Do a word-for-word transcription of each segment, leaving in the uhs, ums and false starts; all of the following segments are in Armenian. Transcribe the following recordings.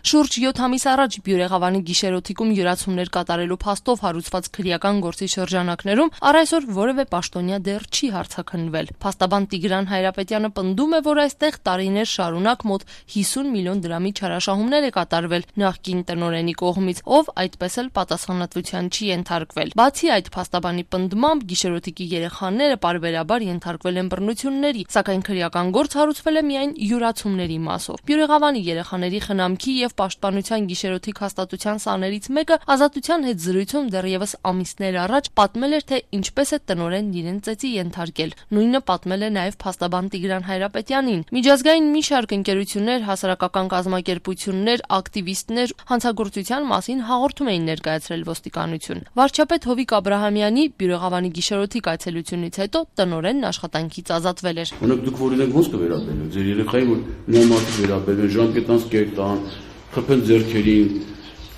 Շուրջ յոթ ամիս առաջ Բյուրեղավանի գիշերօթիկում յուրացումներ կատարելու փաստով հարուցված քրեական գործի շրջանակներում առ այսօր որևէ պաշտոնյա դեռ չի հարձակվել։ Փաստաբան Տիգրան Հայրապետյանը պնդում է, որ այստեղ տարիներ շարունակ մոտ հիսուն միլիոն դրամի չարաշահումներ է կատարվել նախկին տնօրենի կողմից, ով այդպես էլ պատասխանատվության չի ենթարկվել։ Բացի այդ, փաստաբանի պնդմամբ գիշերօթիկի երեխաները պարբերաբար ենթարկվել են բռնությունների, սակայն քրեական գործ հարուցվել է միայն յուրացումների մասով։ Բյուրեղավանի երեխաների խնամքի եւ Պաշտպանության գիշերօթիկ հաստատության սաներից մեկը ազատության հետ զրույցում դեռևս ամիսներ առաջ պատմել էր, թե ինչպես է տնօրենն իրեն ծեծի ենթարկել։ Նույնը պատմել է նաև փաստաբան Տիգրան Հայրապետյանին։ Միջազգային մի շարք ընկերություններ, հասարակական կազմակերպություններ, ակտիվիստներ հանցագործության մասին հաղորդում էին ներկայացրել ոստիկանություն։ Վարչապետ Հովիկ Աբրահամյանի Բյուրեղավանի գիշերօթիկ այցելությունից հետո տնօրենն աշխատանքից ազատվել էր։ Օրինակ դուք որ իրենք ոնց կվերաբերվեն ձեր երեխային, որ նույն մարդիկ վերաբերվեն ժամկետանց կերտ տան, խփեն ձեռքերին,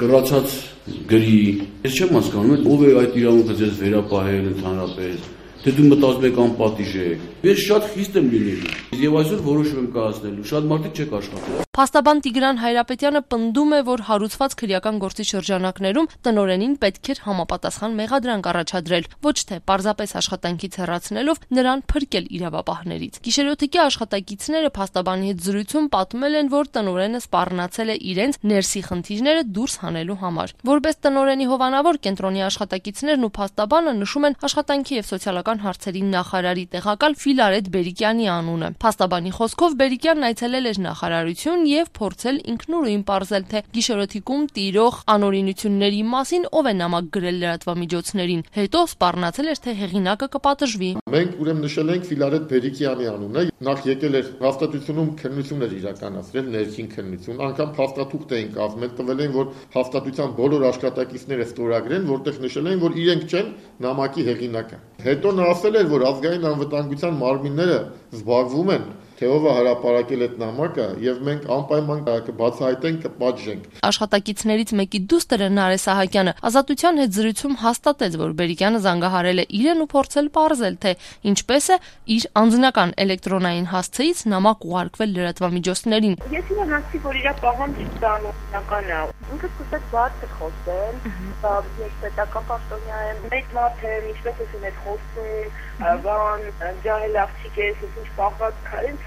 կռացած գրի։ Ես չեմ հասկանում, ով է այդ իրավունքը ձեզ վերապահել ընդհանրապես, թե դու մտածում եք անպատիժ եք։ Ես շատ խիստ եմ լինելու։ Եվ այսօր որոշում եմ կայացնելու, շատ մարդիկ չեք աշխատել։ Փաստաբան Տիգրան Հայրապետյանը պնդում է, որ հարուցված քրեական գործի շրջանակներում տնօրենին պետք էր համապատասխան մեղադրանք առաջադրել, ոչ թե պարզապես աշխատանքից հեռացնելով նրան փրկել իրավապահներից։ Գիշերօթիկի աշխատակիցները փաստաբանի հետ զրույցում պատմել են, որ տնօրենը սպառնացել է իրենց ներսի խնդիրները դուրս հանելու համար։ Որպես տնօրենի հովանավոր կենտրոնի աշխատակիցներն ու փաստաբանը նշում են աշխատանքի եւ սոցիալական հարցերի նախարարի տեղակալ Ֆիլարետ Բերիկյանի անունը։ Փաստաբանի խոսքով Բերիկյանն այցելել էր նախարարություն եւ փորձել ինքնուրույն պարզել, թե գիշերօթիկում տիրող անօրինությունների մասին ով է նամակ գրել լրատվամիջոցներին։ Հետո սպառնացել էր, թե հեղինակը կպատժվի։ Մենք ուրեմն նշել ենք Ֆիլարետ Բերիկյանի անունը, նախ եկել էր հաստատությունում քննություն էր իրականացրել, ներքին քննություն, անգամ հաստատուղթ էին կազմել, տվել են, որ հաստատության բոլոր աշխատակիցները ստորագրեն, որտեղ նշել են, որ իրենք չեն նամակի հեղինակը։ Հետո նա ասել էր, որ ազգային անվտանգության մարմինները զբաղվում են թե ով է հրապարակել այդ նամակը եւ մենք անպայման կբացահայտենք, կպատժենք։ Աշխատակիցներից մեկի դուստրը Նարէ Սահակյանը ազատության հետ զրույցում հաստատեց, որ Բերիկյանը զանգահարել է իրեն ու փորձել պարզել, թե ինչպես է իր անձնական էլեկտրոնային հասցեից նամակ ուղարկվել լրատվամիջոցներին։ Ես իրեն հասցի, որ իր պահանջը բնական է։ Ինքը սկսեց բարձր խոսել, ես պետական պաշտոնյա եմ, մեծ մարդ եմ, ինչպես ես ունեի խոսել, բան, ջահել աղջիկ ես, ինչ պահված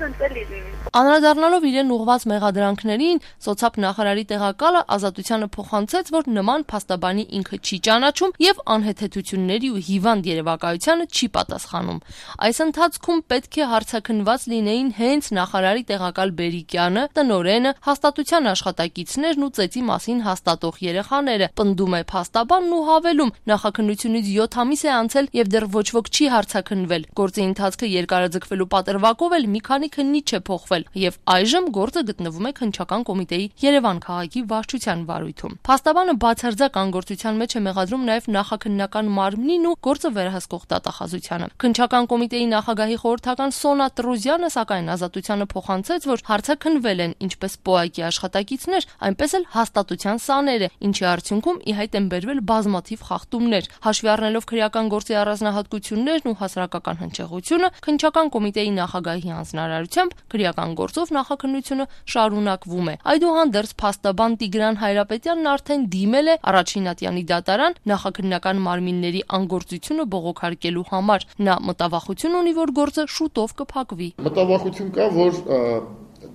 Անդրադառնալով իրեն ուղղված մեղադրանքներին, սոցապ նախարարի տեղակալը ազատությանը փոխանցեց, որ նման փաստաբանի ինքը չի ճանաչում եւ անհեթեթությունների ու հիվանդ երևակայությանը չի պատասխանում։ Այս ընթացքում պետք է հարցաքննված լինեին հենց նախարարի տեղակալ Բերիկյանը, տնօրենը, հաստատության աշխատակիցներն ու ծեծի մասին հաստատող երեխաները, պնդում է փաստաբանն ու հավելում, նախաքննությունից յոթ ամիս է անցել եւ դեռ ոչ ոք չի հարցաքննվել։ Գործի ընթացքը երկարաձգվելու պատրվակով էլ մի քանի քննիչ է փոխվել եւ այժմ գործը գտնվում է քննչական կոմիտեի Երևան քաղաքի վարչության վարույթում։ Փաստաբանը բացարձակ անգործության մեջ է մեղադրում նաեւ նախաքննական մարմնին ու գործը վերահսկող դատախազությանը։ Քննչական կոմիտեի նախագահի խորհրդական Սոնա Տրուզյանը սակայն ազատությանը փոխանցեց, որ հարցաքննվել են ինչպես ՊՕԱԿ-ի աշխատակիցներ, այնպես էլ հաստատության սաները, ինչի արդյունքում ի հայտ են բերվել բազմաթիվ խախտումներ։ Հաշվի առնելով քրեական գործի առանձնահատկություններն ու հասարակական հնչեղությունը, քննչական կոմիտեի նախագահի հանձնարարությամբ քրեական գործով նախաքննությունը շարունակվում է։ Այդուհանդերձ փաստաբան Տիգրան Հայրապետյանն արդեն դիմել է առաջին ատյանի դատարան նախաքննական մարմինների անգործությունը բողոքարկելու համար։ Նա մտավախություն ունի, որ գործը շուտով կփակվի։ Մտավախություն կա, որ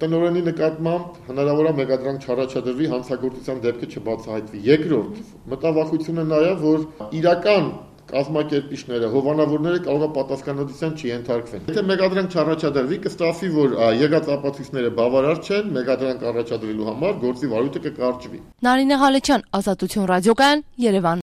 տնօրենի նկատմամբ հնարավոր է մեղադրանք չառաջադրվի, հանցագործության դեպքը չբացահայտվի։ Երկրորդ մտավախությունը նա է, որ իրական կազմակերպիչները, հովանավորները կարող է պատասխանատվության չենթարկվեն։ Եթե մեղադրանք չառաջադրվի, կստացվի, որ եղած ապացույցները բավարար չեն, մեղադրանք առաջադրելու համար գործի վարույթը կկարճվի։ Նարինե Ղալեչյան, Ազատություն ռադիոկայան, Երևան։